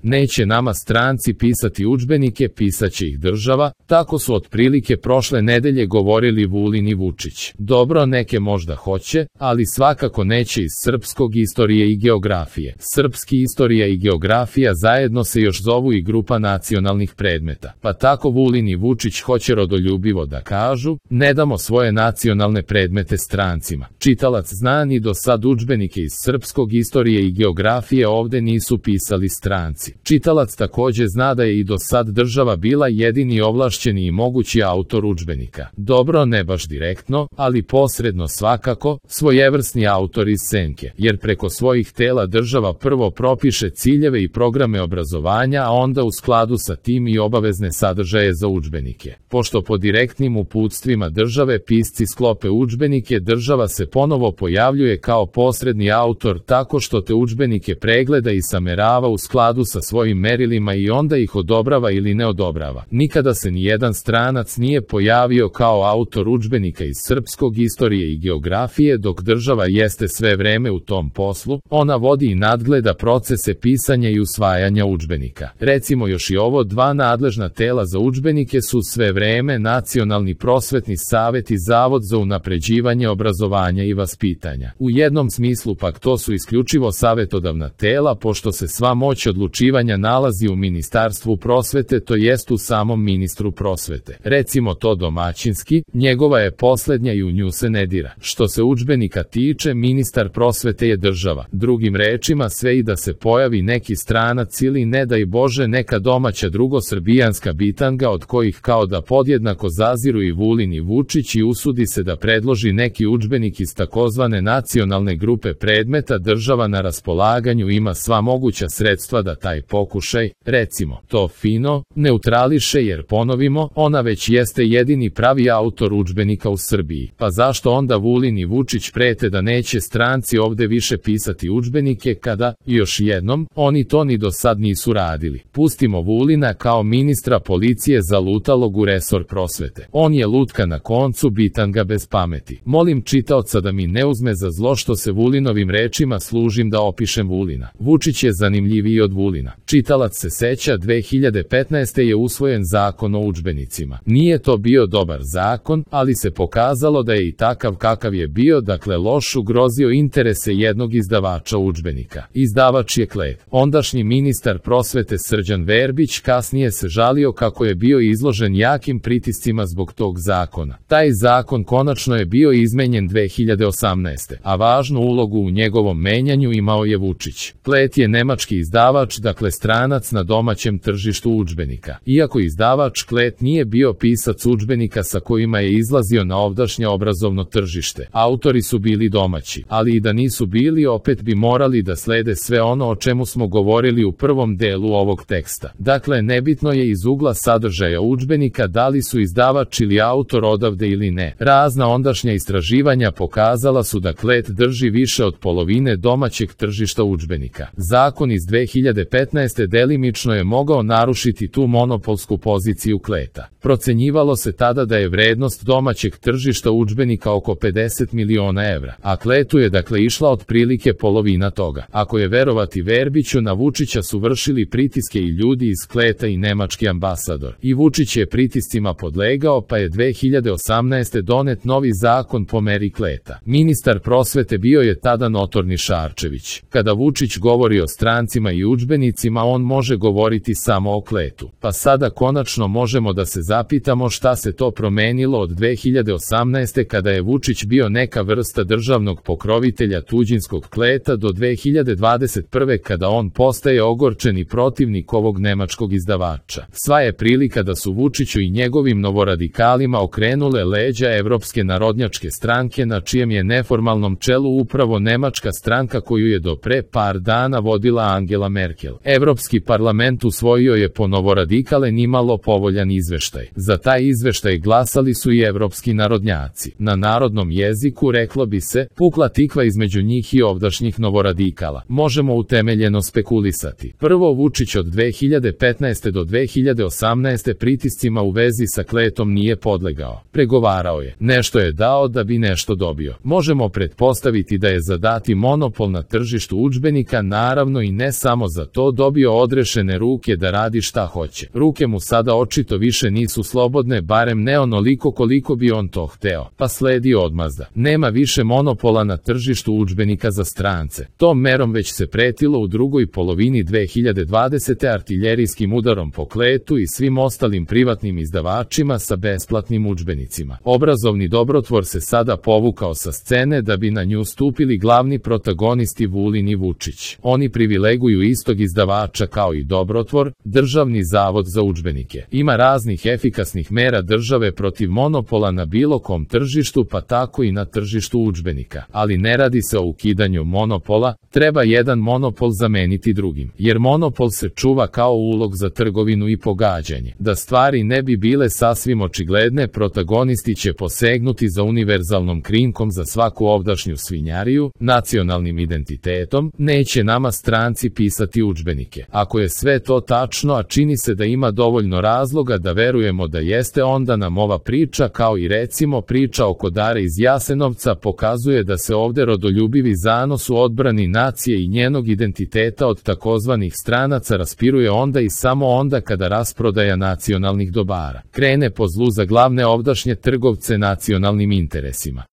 Neće nama stranci pisati udžbenike, pisaće ih država, tako su otprilike prošle nedelje govorili Vulin i Vučić. Dobro, neke možda hoće, ali svakako neće iz srpskog istorije i geografije. Srpski istorija i geografija zajedno se još zovu i grupa nacionalnih predmeta. Pa tako Vulin i Vučić hoće rodoljubivo da kažu, ne damo svoje nacionalne predmete strancima. Čitalac zna ni do sad udžbenike iz srpskog istorije i geografije ovde nisu pisali stranci. Čitalac takođe zna da je i do sad država bila jedini ovlašćeni i mogući autor udžbenika. Dobro, ne baš direktno, ali posredno svakako, svojevrsni autor iz senke, jer preko svojih tela država prvo propiše ciljeve i programe obrazovanja, a onda u skladu sa tim i obavezne sadržaje za udžbenike. Pošto po direktnim uputstvima države pisci sklope udžbenike, država se ponovo pojavljuje kao posredni autor tako što te udžbenike pregleda i samerava u skladu sa svojim merilima i onda ih odobrava ili ne odobrava. Nikada se nijedan stranac nije pojavio kao autor udžbenika iz srpskog istorije i geografije, dok država jeste sve vreme u tom poslu, ona vodi i nadgleda procese pisanja i usvajanja udžbenika. Recimo još i ovo dva nadležna tela za udžbenike su sve vreme Nacionalni prosvetni savet i Zavod za unapređivanje obrazovanja i vaspitanja. U jednom smislu pak to su isključivo savetodavna tela, pošto se sva moć odlučivanja nalazi u Ministarstvu prosvete, to jest u samom ministru prosvete. Recimo to domaćinski, njegova je poslednja i u nju se ne dira. Što se udžbenika tiče, ministar prosvete je država. Drugim rečima, sve i da se pojavi neki stranac ili ne daj Bože neka domaća drugosrbijanska bitanga od kojih kao da podjednako zaziru i Vulin i Vučić i usudi se da predloži neki udžbenik iz takozvane nacionalne grupe predmeta, država na raspolaganju ima sva moguća sredstva da taj pokušaj, recimo, to fino, neutrališe jer ponovimo, ona već jeste jedini pravi autor udžbenika u Srbiji. Pa zašto onda Vulin i Vučić prete da neće stranci ovde više pisati udžbenike kada, još jednom, oni to ni do sad nisu radili. Pustimo Vulina kao ministra policije zalutalog u resor prosvete. On je lutka na koncu, bitanga bez pameti. Molim čitaoca da mi ne uzme za zlo što se Vulinovim rečima služim da opišem Vulina. Vučić je zanimljiviji od Vulina. Čitalac se seća, 2015. je usvojen zakon o udžbenicima. Nije to bio dobar zakon, ali se pokazalo da je i takav kakav je bio, dakle loš, ugrozio interese jednog izdavača udžbenika. Izdavač je Klet. Ondašnji ministar prosvete Srđan Verbić kasnije se žalio kako je bio izložen jakim pritiscima zbog tog zakona. Taj zakon konačno je bio izmenjen 2018. A važnu ulogu u njegovom menjanju imao je Vučić. Klet je nemački izdavač, dakle stranac na domaćem tržištu udžbenika. Iako izdavač, Klet nije bio pisac udžbenika sa kojima je izlazio na ovdašnje obrazovno tržište. Autori su bili domaći, ali i da nisu bili, opet bi morali da slede sve ono o čemu smo govorili u prvom delu ovog teksta. Dakle, nebitno je iz ugla sadržaja udžbenika da li su izdavač ili autor odavde ili ne. Razna ondašnja istraživanja pokazala su da Klet drži više od polovine domaćeg tržišta udžbenika. Zakon iz 2015. delimično je mogao narušiti tu monopolsku poziciju Kleta. Procenjivalo se tada da je vrednost domaćeg tržišta udžbenika oko 50 miliona evra, a Kletu je dakle išla otprilike polovina toga. Ako je verovati Verbiću, na Vučića su vršili pritiske i ljudi iz Kleta i nemački ambasador. I Vučić je pritiscima podlegao, pa je 2018. donet novi zakon po meri Kleta. Ministar prosvete bio je tada notorni Šarčević. Kada Vučić govori o strancima i udžbenicima, on može govoriti samo o Kletu. Pa sada konačno možemo da se zapitamo šta se to promenilo od 2018. kada je Vučić bio neka vrsta državnog pokrovitelja tuđinskog Kleta do 2021. kada on postaje ogorčeni protivnik ovog nemačkog izdavača. Sva je prilika da su Vučiću i njegovim novoradikalima okrenule leđa Evropske narodnjačke stranke, na čijem je neformalnom čelu upravo nemačka stranka koju je do pre par dana vodila Angela Merkel. Evropski parlament usvojio je po novoradikale nimalo povoljan izveštaj. Za taj izveštaj glasali su i evropski narodnjaci. Na narodnom jeziku reklo bi se, pukla tikva između njih i ovdašnjih novoradikala. Možemo utemeljeno spekulisati. Prvo, Vučić od 2015. do 2018. pritiscima u vezi sa Kletom nije podlegao. Pregovarao je. Nešto je dao da bi nešto dobio. Možemo pretpostaviti da je za dati monopol na tržištu udžbenika, naravno i ne samo za to, to dobio odrešene ruke da radi šta hoće. Ruke mu sada očito više nisu slobodne, barem ne onoliko koliko bi on to hteo, pa sledi odmazda. Nema više monopola na tržištu udžbenika za strance. Tom merom već se pretilo u drugoj polovini 2020. artiljerijskim udarom po Kletu i svim ostalim privatnim izdavačima sa besplatnim udžbenicima. Obrazovni dobrotvor se sada povukao sa scene da bi na nju stupili glavni protagonisti Vulin i Vučić. Oni privileguju istog izdavača kao i dobrotvor, Državni zavod za udžbenike. Ima raznih efikasnih mera države protiv monopola na bilo kom tržištu, pa tako i na tržištu udžbenika. Ali ne radi se o ukidanju monopola, treba jedan monopol zameniti drugim, jer monopol se čuva kao ulog za trgovinu i pogađanje. Da stvari ne bi bile sasvim očigledne, protagonisti će posegnuti za univerzalnom krinkom za svaku ovdašnju svinjariju, nacionalnim identitetom, neće nama stranci pisati udžbenike. Ako je sve to tačno, a čini se da ima dovoljno razloga da verujemo da jeste, onda nam ova priča, kao i recimo priča oko Dare iz Jasenovca, pokazuje da se ovde rodoljubivi zanos u odbrani nacije i njenog identiteta od takozvanih stranaca raspiruje onda i samo onda kada rasprodaja nacionalnih dobara krene po zlu za glavne ovdašnje trgovce nacionalnim interesima.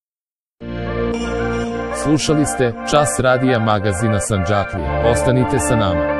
Slušali ste Čas radija magazina Sandžaklija. Ostanite sa nama.